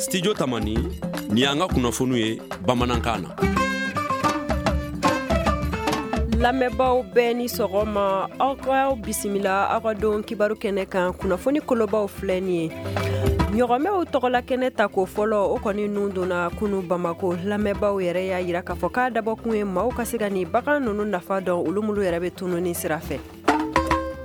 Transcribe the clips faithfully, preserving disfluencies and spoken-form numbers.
Studio Tamani, ni y'an ka kunnafoniw ye bamanankan na. Lamɛnbaaw bɛɛ ni sɔgɔma, aw k'aw bisimila aw ka don kibaru kɛnɛ kan. Kunnafoni kolobaw filɛ nin ye. Ɲɔgɔmɛw tɔgɔla kɛnɛ ta ko fɔlɔ, o kɔni nun donna kunu Bamako. Lamɛnbaaw yɛrɛ y'a yira k'a fɔ k'a dabɔkun ye maaw ka se ka nin bagan ninnu nafa dɔn, olu minnu yɛrɛ bɛ tununi sira fɛ.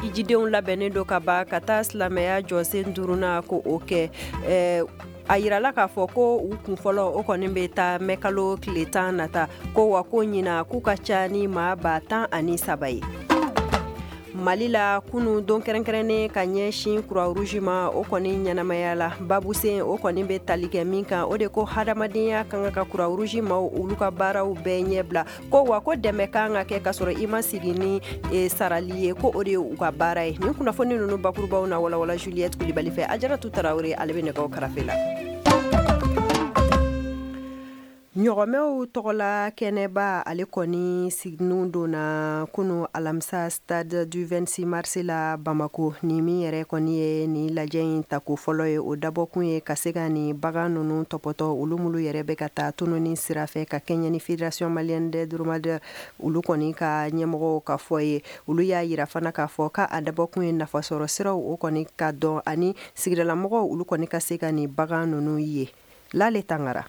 Ijidenw labɛnnen don ka ban ka taa silamɛya jɔsen duurunan ko o kɛ. Ɛɛ a yirala k'a fɔ ko u kun fɔlɔ o kɔni bɛ taa mɛkalo tile tan nata, ko wa ko ɲina k'u ka ca ni maa ba tan ani saba ye. Mali la, kunu don kɛrɛnkɛrɛnnen ka ɲɛsin Croix-Rouge ma, o kɔni ɲɛnamaya la. Babusen o kɔni bɛ tali kɛ min kan, o de ko hadamadenya kan ka Croix-Rouge maaw olu ka baaraw bɛɛ ɲɛbila, ko wa ko dɛmɛ kan ka kɛ k'a sɔrɔ i ma sigi ni sarali ye, ko o de ye u ka baara ye. Nin kunnafoni ninnu bakurubaw na walawala Juliette Kulibali fɛ. Ajaratu Tarawele ale bɛ nɛgɛw karafe la. Ɲɔgɔmɛw tɔgɔla kɛnɛba, ale kɔni siginw donna kunu alamisa stade du vingt-six mars la Bamako. Ni min yɛrɛ kɔni ye nin lajɛ in tako fɔlɔ ye, o dabɔkun ye ka se ka nin bagan ninnu tɔpɔtɔ, olu minnu yɛrɛ bɛ ka taa tununi sira fɛ, ka kɛɲɛ ni Fédération malienne des dromadaires olu kɔni ka ɲɛmɔgɔw ka fɔ ye. Olu y'a yira fana k'a fɔ k'a dabɔkun ye nafasɔrɔ siraw o kɔni ka dɔn, ani sigidalamɔgɔw olu kɔni ka se ka nin bagan ninnu ye. Lale Tangara.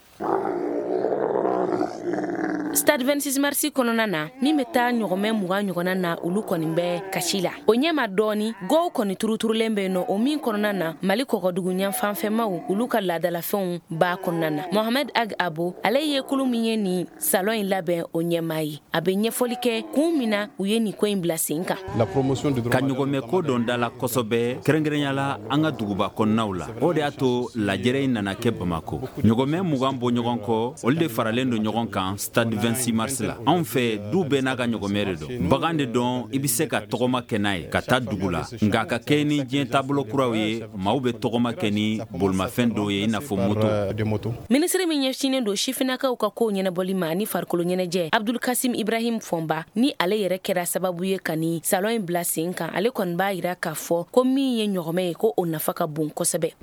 Stade vingt-six mars kɔnɔna na, min bɛ taa ɲɔgɔmɛ mugan ɲɔgɔnna na, olu kɔni bɛ kasi la. O ɲɛma dɔɔni, gɔw kɔni turuturulen bɛ yen nɔ, o min kɔnɔna na Mali kɔgɔdugu ɲɛfanfɛmaw olu ka laadalafɛnw b'a kɔnɔna na. Mohamed Ag Abo, ale ye kulu min ye nin salon in labɛn o ɲɛmaa ye. A bɛ ɲɛfɔli kɛ kun min na u ye nin ko in bila sen kan. Ka ɲɔgɔmɛ ko dɔn da la kosɛbɛ, kɛrɛnkɛrɛnya la an ka duguba kɔnɔnaw la. O de y'a to lajɛrɛ in nana kɛ Bamako. Ɲɔgɔmɛ mugan bɔ ɲɔgɔn kɔ, olu de faralen don ɲɔgɔn kan stade vingt-six mars la. Anw fɛ, du bɛɛ n'a ka ɲɔgɔmɛ de don. Bagan de dɔn, i bɛ se ka tɔgɔma kɛ n'a ye ka taa dugu la, nka ka kɛ ni diɲɛ taabolo kuraw ye, maaw bɛ tɔgɔma kɛ ni bolimafɛn dɔw ye, i n'a fɔ moto. Minisiri min ɲɛsinnen don sifinnakaw ka kow ɲɛnabɔli ma ani farikolo ɲɛnajɛ, Abdul Kasim Ibrahim Fɔnba, ni ale yɛrɛ kɛra sababu ye ka nin salon in bila sen kan, ale kɔni b'a yira k'a fɔ ko min ye ɲɔgɔmɛ ye, ko o nafa ka bon kosɛbɛ.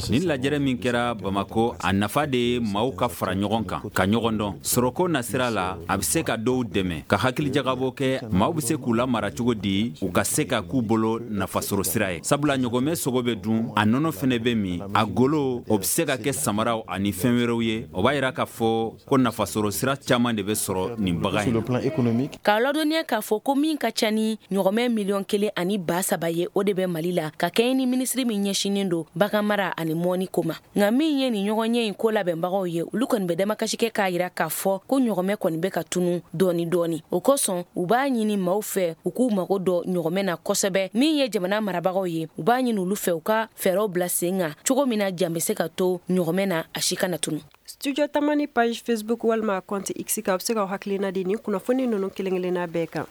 Nin lajɛrɛ min kɛra Bamako, a nafa de ye maaw ka fara ɲɔgɔn kan ka ɲɔgɔn dɔn. Sɔrɔko nasira la, a bɛ se ka dɔw dɛmɛ ka hakilijagabɔ kɛ, maaw bɛ se k'u lamara cogo di u ka se ka k'u bolo nafasɔrɔ sira ye. Sabula ɲɔgɔmɛ sogo bɛ dun, a nɔnɔ fɛnɛ bɛ min, a golo o bɛ se ka kɛ samaraw ani fɛn wɛrɛw ye. O b'a yira k'a fɔ ko nafasɔrɔ sira caman de bɛ sɔrɔ nin bagan in na. K'a ladɔnniya k'a fɔ ko min ka ca ni ɲɔgɔmɛ miliyɔn kelen ani ba saba ye, o de bɛ Mali la, ka kɛɲɛ ni minisiri min ɲɛsinnen don bagan mara ani mɔni ko ma. Nka min ye nin ɲɔgɔnye in ko labɛnbagaw ye, olu kɔni bɛ damakasi kɛ k'a yira k'a fɔ ko ɲɔgɔmɛ kɔni bɛ ka tunu dɔɔni dɔɔni. O kosɔn u b'a ɲini maaw fɛ u k'u mago dɔn ɲɔgɔmɛ na kosɛbɛ. Min ye jamana marabagaw ye, u b'a ɲini olu fɛ u ka fɛɛrɛw bila sen kan cogo min na jan bɛ se ka to ɲɔgɔmɛ na, a si kana tunu. Studio Tamani page Facebook walima compte X kan, a bɛ se k'aw hakilina di nin kunnafoni ninnu kelen kelenna bɛɛ kan.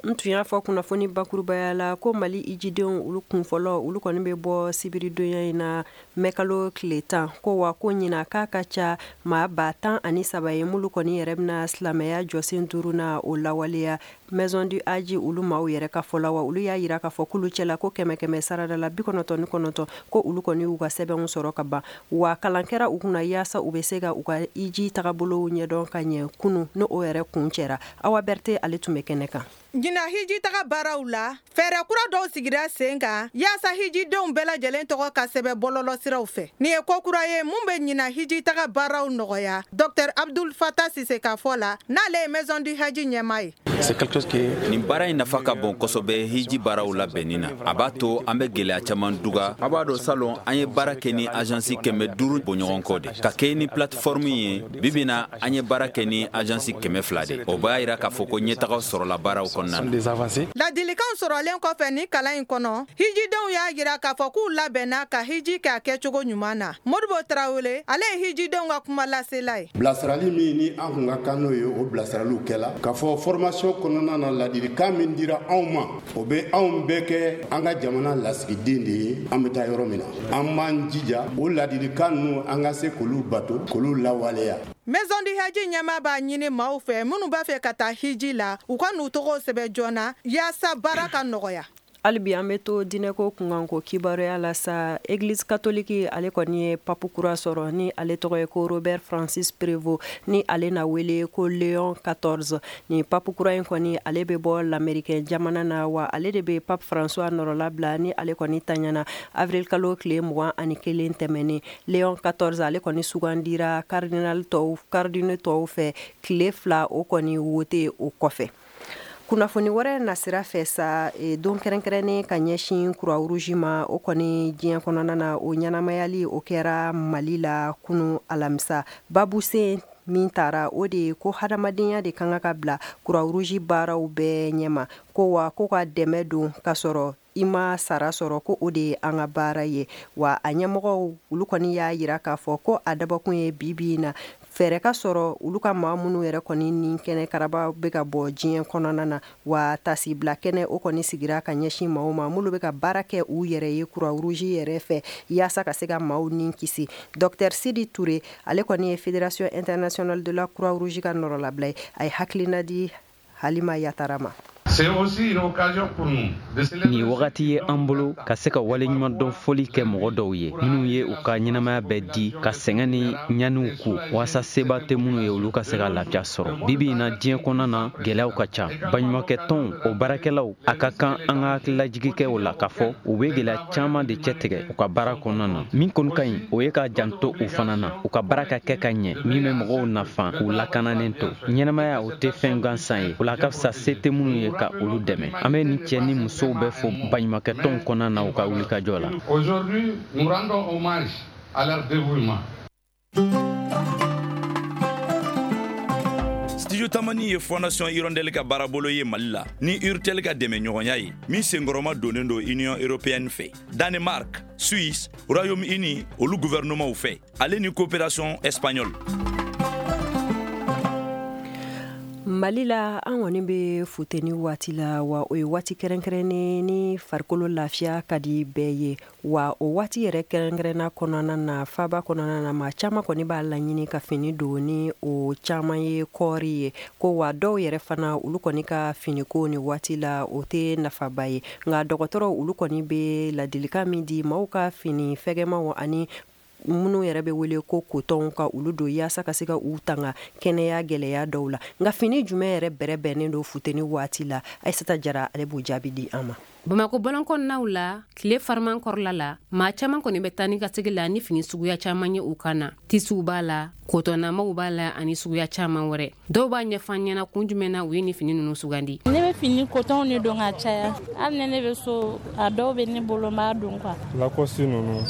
N tun y'a fɔ kunnafoni bakurubaya la ko Mali ijidenw olu kun fɔlɔ olu kɔni bɛ bɔ sibiridonya in na mɛkalo tile tan, ko wa ko ɲina k'a ka ca maa ba tan ani saba ye minnu kɔni yɛrɛ bɛna silamɛya jɔsen duuru na o lawaleya. Maison du Hadji olu maaw yɛrɛ ka fɔ la, wa olu y'a yira k'a fɔ k'olu cɛla ko kɛmɛ kɛmɛ sarada la bi kɔnɔntɔn ni kɔnɔntɔn ko olu kɔni y'u ka sɛbɛnw sɔrɔ ka ban, wa kalan kɛra u kunna yaasa u bɛ se ka u ka iji tagabolow ɲɛdɔn ka ɲɛ kunu n'o o yɛrɛ kun cɛra. Awa Berete ale tun bɛ kɛnɛ kan. Ɲinan hiji taga baaraw la, fɛɛrɛ kura dɔw sigira sen kan yaasa hijidenw bɛɛ lajɛlen tɔgɔ ka sɛbɛn bɔlɔlɔsiraw fɛ. Nin ye ko kura ye mun bɛ ɲinan hiji taga baaraw nɔgɔya. Docteur Abdul Fatah Sise ka fɔ la, n'ale ye Maison du Hadji ɲɛmaa ye. Nin baara in nafa ka bon kosɛbɛ hiji baaraw labɛnni na. A b'a to an bɛ gɛlɛya caman duga. A b'a dɔn, salon an ye baara kɛ ni agence kɛmɛ duuru bɔɲɔgɔn kɔ de ka kɛ ni plateforme ye. Bi bi na, an ye baara kɛ ni agence kɛmɛ fila de. O b'a yira k'a fɔ ko ɲɛtagaw sɔrɔla baaraw kɔnɔna na. Ladilikanw sɔrɔlen kɔfɛ ni kalan in kɔnɔ, hijidenw y'a yira k'a fɔ k'u labɛnna ka hiji kɛ a kɛcogo ɲuman na. Modibo Tarawele, ale ye hijidenw ka kuma lasela ye. Bilasirali min ni an kun ka kan n'o ye, o bilasiraliw kɛla k'a fɔ formation kɔnɔna na. Ladilikan min dira anw ma, o bɛ anw bɛɛ kɛ an ka jamana lasigiden de ye. An bɛ taa yɔrɔ min na, an b'an jija o ladilikan ninnu, an ka se k'olu bato, k'olu lawaleya. Maison du Hadji ɲɛmaa b'a ɲini maaw fɛ minnu b'a fɛ ka taa hiji la, u ka n'u tɔgɔw sɛbɛn joona yaasa baara ka nɔgɔya. Hali bi an bɛ to diinɛko kunkanko kibaruya la sa. Église catholique ale kɔni ye pape kura sɔrɔ ni ale tɔgɔ ye ko Robert Francis Prevost, ni ale na wele ko Léon quatorze. Ni pape kura in kɔni ale bɛ bɔ l'Américain jamana na, wa ale de bɛ pape François nɔrɔla ni ale kɔni taɲana avril kalo tile mugan ani kelen tɛmɛnen. Léon quatorze ale kɔni sugandira cardinal tɔw cardinaux tɔw fɛ tile fila o kɔni wote o kɔfɛ. Kunnafoni wɛrɛ nasira fɛ sa, don kɛrɛnkɛrɛnnen ka ɲɛsin Croix-Rouge ma, o kɔni diɲɛ kɔnɔna na o ɲɛnamayali o kɛra Mali la kunu alamisa. Babusen min taara o de ye ko hadamadenya de kan ka bila Croix-Rouge baaraw bɛɛ ɲɛma, ko wa ko ka dɛmɛ don ka sɔrɔ i ma sara sɔrɔ, ko o de ye an ka baara ye. Wa a ɲɛmɔgɔw olu kɔni y'a yira k'a fɔ ko a dabɔkun ye bi bi in na fɛɛrɛ ka sɔrɔ olu ka maa minnu yɛrɛ kɔni ni kɛnɛ karaba bɛ ka bɔ diɲɛ kɔnɔna na. Wa tasibila kɛnɛ o kɔni sigira ka ɲɛsin maaw ma minnu bɛ ka baara kɛ u yɛrɛ ye Croix-Rouge yɛrɛ fɛ yaasa ka se ka maaw ni kisi. Docteur Sidi Touré ale kɔni ye Fédération internationale de la Croix-Rouge ka nɔrɔlabila ye, a ye hakilina di Halima Yatara ma. Nin wagati ye an bolo ka se ka waleɲumandɔn foli kɛ mɔgɔ dɔw ye minnu ye u ka ɲɛnamaya bɛɛ di ka sɛgɛn ni ɲaniw ku waasa seba tɛ minnu ye olu ka se ka lafiya sɔrɔ. Bibi in na diɲɛ kɔnɔna na gɛlɛyaw ka ca. Baɲumankɛtɔnw o baarakɛlaw a ka kan an ka hakililajigi kɛ o la k'a fɔ u bɛ gɛlɛya caman de cɛtigɛ u ka baara kɔnɔna na. Min kɔni ka ɲi o ye ka janto u fana na, u ka baara ka kɛ ka ɲɛ min bɛ mɔgɔw nafa k'u lakananen to. Ɲɛnamaya o tɛ fɛn gansan ye, o la a ka fisa se tɛ minnu ye ka olu dɛmɛ. An bɛ nin cɛ ni musow bɛɛ fo baɲumankɛtɔnw kɔnɔna na u ka wulikajɔ la. Aujourd'hui, nous rendons hommage à leur dévouement. Studio Tamani ye Fondation Hirondelle ka baarabolo ye Mali la ni Urtel ka dɛmɛɲɔgɔnya ye min senkɔrɔma donnen don Union européenne fɛ, Danemark, Suisse, Royaume-Uni olu gouvernement fɛ, ale ni coopération espagnole. Mali la an kɔni bɛ futeni waati la, wa o ye waati kɛrɛnkɛrɛnnen ni farikolo lafiya ka di bɛɛ ye. Wa o waati yɛrɛ kɛrɛnkɛrɛnna kɔnɔna na faba kɔnɔna na maa caman kɔni b'a laɲini ka fini don ni o caman ye kɔɔri ye, ko wa dɔw yɛrɛ fana olu kɔni ka finiko ni waati la o tɛ nafaba ye. Nka dɔgɔtɔrɔw olu kɔni bɛ ladilikan min di maaw ka fini fɛgɛmaw ani minnu yɛrɛ bɛ wele ko kotɔnw ka olu don yaasa ka se ka u tanga kɛnɛya gɛlɛya dɔw la. Nka fini jumɛn yɛrɛ bɛrɛ bɛnnen don futeni waati la? Aïssata Jara ale b'o jaabi di an ma. Bamakɔ bɔlɔnkɔnɔnaw la tile fariman kɔrɔla la maa caman kɔni bɛ taa ni ka segi la ni fini suguya caman ye u kan na. Tisiw b'a la, kotɔnnamaw b'a la ani suguya caman wɛrɛ. Dɔw b'a ɲɛfɔ an ɲɛna kun jumɛn na u ye ni fini ninnu sugandi. Ne bɛ fini kotɔnw de don ka caya, hali ni ne bɛ so a dɔw bɛ ne bolo n b'a don quoi. Lacoste ninnu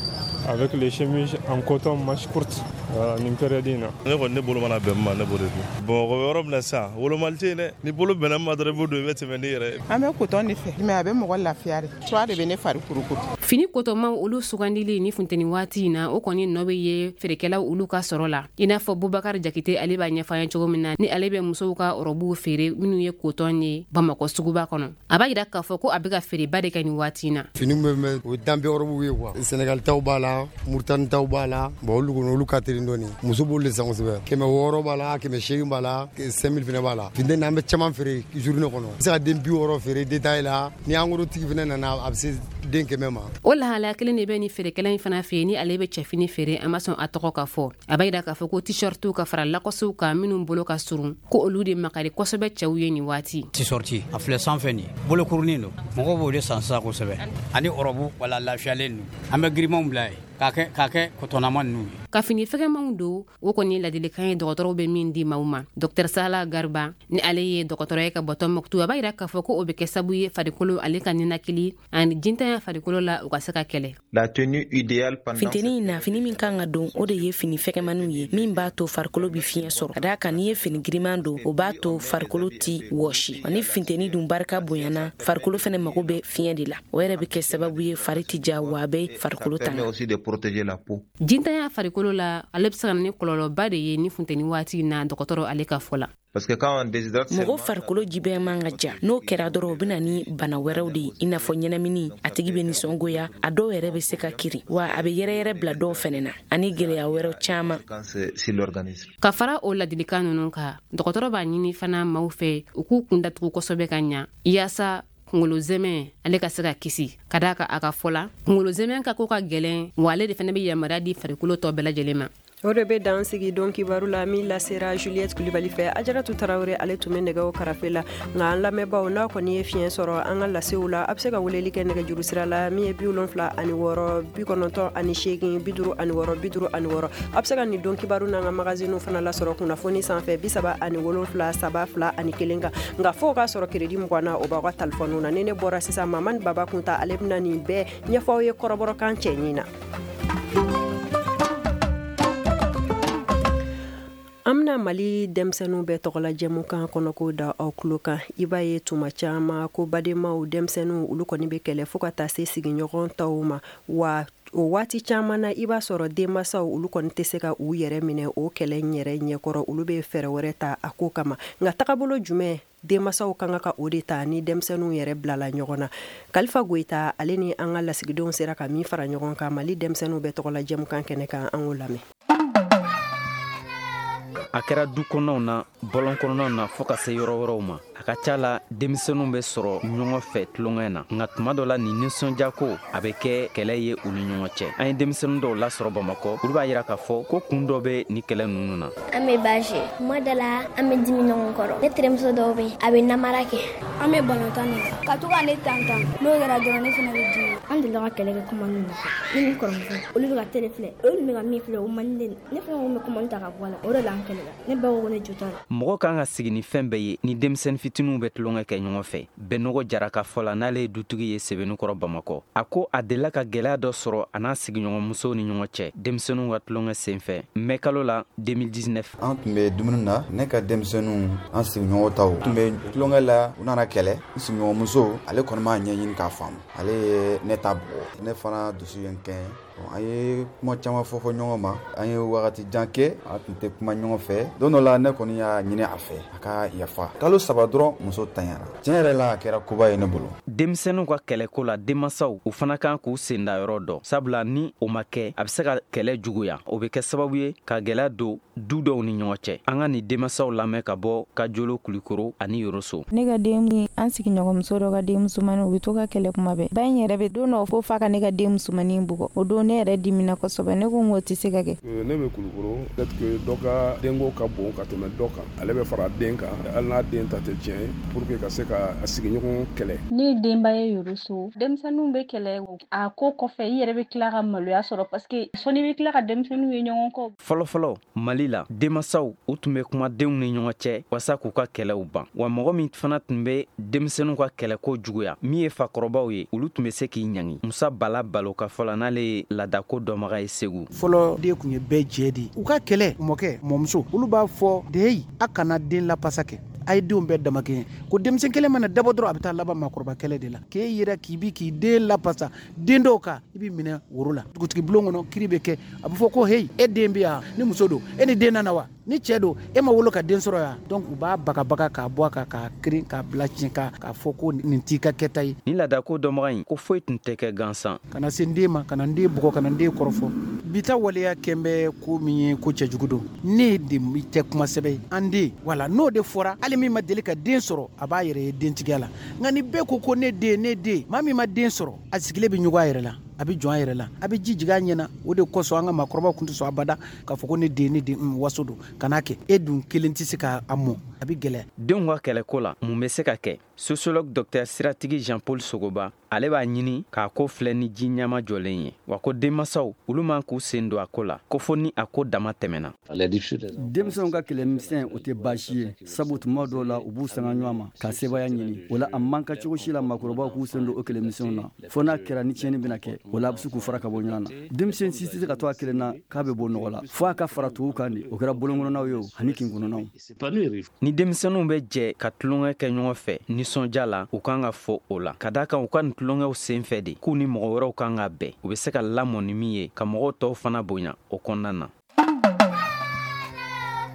avec les chemises en coton manche courte, voilà, nin période in na. Ne kɔni ne bolo mana bɛn min ma ne b'o de dun. Bamakɔ bɛ yɔrɔ min na sisan wolomali tɛ yen dɛ, ni bolo bɛnna min ma dɔrɔn i b'o don i bɛ tɛmɛ n'i yɛrɛ ye. An bɛ coton de fɛ mais a bɛ mɔgɔ lafiya de, soie de bɛ ne fari kurukuru. Fini kotɔmaw olu sugandili ni funteni waati in na o kɔni nɔ bɛ ye feerekɛlaw olu ka sɔrɔ la. I n'a fɔ Bubakari Jakite ale b'a ɲɛfɔ an ye cogo min na ni ale bɛ musow ka ɔrɔbuw feere minnu ye kotɔn ye Bamakɔ suguba kɔnɔ. A b'a yira k'a fɔ ko a bɛ ka feereba de kɛ nin waati in na. Fini bɛ mɛn o ye danbe ɔrɔbuw ye quoi. Senegal taw b'a la, Mauritanie taw b'a la, bon olu kɔni olu ka teli dɔɔni. Muso b'olu de san kosɛbɛ. Kɛmɛ wɔɔrɔ b'a la, kɛmɛ seegin b'a la, cinq mille fana b'a la. Funteni an bɛ caman feere journée kɔnɔ. I bɛ se ka den bi wɔɔrɔ feere détail la, ni en gros tigi fana nana a bɛ se den kɛmɛ ma. O lahalaya kelen de bɛ ni feerekɛla in fana fɛ yen ni ale bɛ cɛfini feere, an ma sɔn a tɔgɔ ka fɔ. A b'a yira k'a fɔ ko t-shirtiw ka fara lakɔsiw kan minnu bolo ka surun ko olu de makari kosɛbɛ cɛw ye nin waati. T-shirt a filɛ sanfɛ nin bolokurunin don, mɔgɔw b'o de san sisan kosɛbɛ, ani ɔrɔbu wala lafiyalen don. An bɛ girimanw bila yen k'a kɛ k'a kɛ kotɔnnama ninnu ye. Ka fini fɛgɛmanw don o kɔni ladilikan ye dɔgɔtɔrɔw bɛ min di maaw ma. Docteur Sala Garba ni ale ye dɔgɔtɔrɔ ye ka bɔ Tɔnbɔkutu, a b'a yira k'a fɔ ko o bɛ kɛ sababu ye farikolo ale ka ninakili ani jintanya farikolo la u ka se ka kɛlɛ. La tenue idéale pendant funteni in na fini min kan ka don o de ye fini fɛgɛmanniw ye min b'a to farikolo bɛ fiɲɛ sɔrɔ. Ka d'a kan n'i ye fini giriman don o b'a to farikolo ti wɔsi, ani funteni dun barika bonyana farikolo fɛnɛ mago bɛ fiɲɛ de la, o yɛrɛ bɛ kɛ sababu ye fari ti ja wa a bɛ farikolo tanga. Protéger la peau. Jintanya farikolo la ale bɛ se ka na ni kɔlɔlɔba de ye ni funteni waati na dɔgɔtɔrɔ ale ka fɔ la. Parce que quand on déshydrate mɔgɔ farikolo ji bɛɛ man ka ja, n'o kɛra dɔrɔn o bɛ na ni bana wɛrɛw de ye i n'a fɔ ɲɛnamini, a tigi bɛ nisɔngoya, a dɔw yɛrɛ bɛ se ka kiri, wa a bɛ yɛrɛyɛrɛ bila dɔw fɛnɛ na ani gɛlɛya wɛrɛw caman. Ka fara o ladilikan ninnu kan, dɔgɔtɔrɔ b'a ɲini fana maaw fɛ u k'u kun datugu kosɛbɛ ka ɲa yaasa kungolo zɛmɛ ale ka se ka kisi ka d'a kan a ka fɔ la kungolo zɛmɛ ka ko ka gɛlɛn wa ale de fana bɛ yamaruya di farikolo tɔ bɛɛ lajɛlen ma. O de bɛ dan sigi don kibaru la min lasera Juliette Kulibali fɛ. Ajaratu Tarawele ale tun bɛ nɛgɛw karafe la. Nka an lamɛnbaaw, n'a kɔni ye fiɲɛ sɔrɔ an ka lasew la, a bɛ se ka weleli kɛ nɛgɛjuru sira la min ye bi wolonfila ani wɔɔrɔ bi kɔnɔntɔn ani seegin bi duuru ani wɔɔrɔ bi duuru ani wɔɔrɔ. A bɛ se ka nin don kibaru n'an ka magaziniw fana lasɔrɔ kunnafoni sanfɛ bi saba ani wolonfila saba fila ani kelen kan. Nka fo k'a sɔrɔ crédit mugan na o b'aw ka talifɔniw na. Ni ne bɔra sisan, Mamani Baba Kunta ale bɛna nin bɛɛ ɲɛfɔ aw ye kɔrɔbɔrɔkan cɛɲin na. An bɛna Mali denmisɛnninw bɛɛ tɔgɔla jɛmukan kɔnɔko da aw tulo kan. I b'a ye tuma caman ko badenmaw denmisɛnninw olu kɔni bɛ kɛlɛ fo ka taa se sigiɲɔgɔn tɔw ma, wa o waati caman na i b'a sɔrɔ denmansaw olu kɔni tɛ se ka u yɛrɛ minɛ o kɛlɛ yɛrɛ ɲɛkɔrɔ, olu bɛ fɛɛrɛ wɛrɛ ta a ko kama. Nka tagabolo jumɛn denmansaw kan ka o de ta ni denmisɛnninw yɛrɛ bilala ɲɔgɔn na? Kalifa Goyita ale ni an ka lasigidenw sera ka min fara ɲɔgɔn kan Mali denmisɛnninw bɛɛ tɔgɔla jɛmukan kɛnɛ kan, an k'o lamɛn. A kɛra du kɔnɔw na, bɔlɔn kɔnɔnaw na, fɔɔ ka se yɔrɔ wɛrɛw ma. A ka ca la denmisɛnninw bɛ sɔrɔ ɲɔgɔn fɛ tulonkɛ na, nka tuma dɔ la nin nisɔndiyako a bɛ kɛ kɛlɛ ye u ni ɲɔgɔn cɛ. An ye denmisɛnnin dɔw lasɔrɔ Bamakɔ, olu b'a yira k'a fɔ ko kun dɔ bɛ nin kɛlɛ ninnu na. An bɛ baasi kuma dɔ la, an bɛ dimi ɲɔgɔn kɔrɔ. Ne terimuso dɔw bɛ yen, a bɛ namara kɛ. An bɛ balontan de ka to ka ne tan tan, n'o kɛra dɔrɔn ne fana bɛ dimi. An delila ka kɛlɛ kɛ kuma min na, ne ni kɔrɔmuso olu bɛ ka télé filɛ, olu bɛ ka min filɛ o man di ne, ne fana ko n bɛ kuma ta ka bɔ a la, o de la an kɛlɛla. Ne ba ko ne jo t'a la. Mɔgɔ kan ka sigi ni fɛn bɛɛ ye ni denmisɛnnin fitininw bɛ tulonkɛ kɛ ɲɔgɔn fɛ. Bɛnɔgɔ Jara ka fɔ la, n'ale ye dutigi ye Sɛbɛnnikɔrɔ Bamakɔ, a ko a delila ka gɛlɛya dɔ sɔrɔ a n'a sigiɲɔgɔnmusow ni ɲɔgɔn cɛ denmisɛnninw ka tulonkɛ senfɛ mɛ kalo la deux mille dix-neuf. An tun bɛ dumuni na, ne ka denmisɛnninw an sigiɲɔgɔn taw tun bɛ tulonkɛ la, u nana kɛlɛ. N sigiɲɔgɔnmuso ale kɔni m'a ɲɛɲini k'a faamu, ale ye ne ta bugɔ, ne fana dusu ye n kɛn. An ye kuma caman fɔ fɔ ɲɔgɔn ma, an ye wagati jan kɛ an tun tɛ kuma ɲɔgɔn fɛ. Don dɔ la ne kɔni y'a ɲini a fɛ a ka yafa. Kalo saba dɔrɔn muso tanyara. Tiɲɛ yɛrɛ la a kɛra koba ye ne bolo. Denmisɛnninw ka kɛlɛko la, denmansaw u fana kan k'u senda yɔrɔ dɔn, sabula ni o ma kɛ a bɛ se ka kɛlɛ juguya, o bɛ kɛ sababu ye ka gɛlɛya don du dɔw ni ɲɔgɔn cɛ. An ka nin denmansaw lamɛn ka bɔ Kajolo, Kulikoro ani Yoroso. Ne ka den ni an sigiɲɔgɔnmuso dɔ ka den musomanin, u bɛ to ka kɛlɛ kuma bɛɛ. Ba in yɛrɛ bɛ don dɔ fo fa ka ne ka den musomanin bugɔ. O don ne yɛrɛ dimina kosɛbɛ, ne ko n k'o tɛ se ka kɛ. Ne bɛ Kulukoro, peut-être que dɔ ka denko ka bon ka tɛmɛ dɔ kan, ale bɛ fara den kan, hali n'a den ta tɛ tiɲɛ ye, pour que ka se ka sigiɲɔgɔn kɛlɛ. Ne ye denba ye Yoroso, denmisɛnninw bɛ kɛlɛ, a ko kɔfɛ i yɛrɛ bɛ tila ka maloya sɔrɔ parce que sɔnni bɛ tila ka denmisɛnninw ye ɲɔgɔn kɔ. Fɔlɔ fɔlɔ Mali la, denmansaw u tun bɛ kuma denw ni ɲɔgɔn cɛ walasa k'u ka kɛlɛw ban, wa mɔgɔ min fana tun bɛ denmisɛnninw ka kɛlɛko juguya, min ye fakɔrɔbaw ye, olu tun bɛ se k'i ɲangi. Musa Bala Balo ka fɔ la, n'ale ye laadako dɔnbaga ye Segu. Fɔlɔ den tun ye bɛɛ jɛ de ye. U ka kɛlɛ, mɔkɛ mɔmuso olu b'a fɔ de a kana den lapasa kɛ, a ye denw bɛɛ damakɛɲɛ. Ko denmisɛn kelen mana dabɔ dɔrɔn a bɛ taa laban maakɔrɔba kɛlɛ de la. K'e yɛrɛ k'i bi k'i den lapasa den dɔw kan, i b'i minɛ woro la. Dugutigi bulon kɔnɔ kiri bɛ kɛ, a bɛ fɔ ko heyi, e den bɛ yan, ni muso don, e ni den nana wa? Ni cɛ don, e ma wolo ka den sɔrɔ yan. Donc u b'a bagabaga k'a bɔ a kan, k'a kirin, k'a bila tiɲɛ kan, k'a fɔ ko nin t'i ka kɛta ye. Ni laadako dɔnbaga in ko foyi tun tɛ kɛ gansan. Kana se n den ma, kana n den bugɔ, kana n den kɔrɔfɔ. Bi ta waleya kɛn bɛ ko min ye, ko cɛjugu don. Ne de tɛ kuma sɛbɛ ye, an den wala n'o de fɔra, hali min ma deli ka den sɔrɔ a b'a yɛrɛ ye dentigiya la. Nka ni bɛɛ ko ko ne den, ne den, maa min ma den sɔrɔ a sigilen bɛ ɲɔgɔn a yɛrɛ la, a bɛ jɔn a yɛrɛ la, a bɛ ji jigin a ɲɛ na. O de kosɔn an ka maakɔrɔbaw tun tɛ sɔn abada k'a fɔ ko ne den, ne den, waso don, kan'a kɛ. E dun kelen tɛ se k'a mɔ, a bɛ gɛlɛya. Denw ka kɛlɛko la, mun bɛ se ka kɛ? Sociologue docteur Siratigi Jean-Paul Sogoba, ale b'a ɲini k'a ko filɛ ni ji ɲama jɔlen ye, wa ko denmansaw olu man k'u sen don a ko la, ko fo ni a ko dama tɛmɛna. Denmisɛnw ka kɛlɛmisɛn o tɛ baasi ye, sabu tuma dɔw la u b'u sanga ɲɔgɔn ma ka sebaaya ɲini. O la a man ka cogo si la maakɔrɔbaw k'u sen don o kɛlɛmisɛnw na, fo n'a kɛra ni tiɲɛni bɛna kɛ, o la a bɛ se k'u fara ka bɔ ɲɔgɔn na. Denmisɛn si tɛ se ka to a kelen na k'a bɛ bɔ nɔgɔ la, fo a ka fara tuw kan de, o kɛra bolonkɔnɔnaw ye o ani kinkɔnɔnaw. Ni denmisɛnninw bɛ jɛ ka tulonkɛ kɛ ɲɔgɔn fɛ nisɔndiya la, u kan ka fɔ o la, ka d'a kan u ka nin tulonkɛw sen fɛ de k'u ni mɔgɔ wɛrɛw kan ka bɛn, u bɛ se ka lamɔ ni min ye ka mɔgɔw tɔw fana bonya o kɔnɔna na.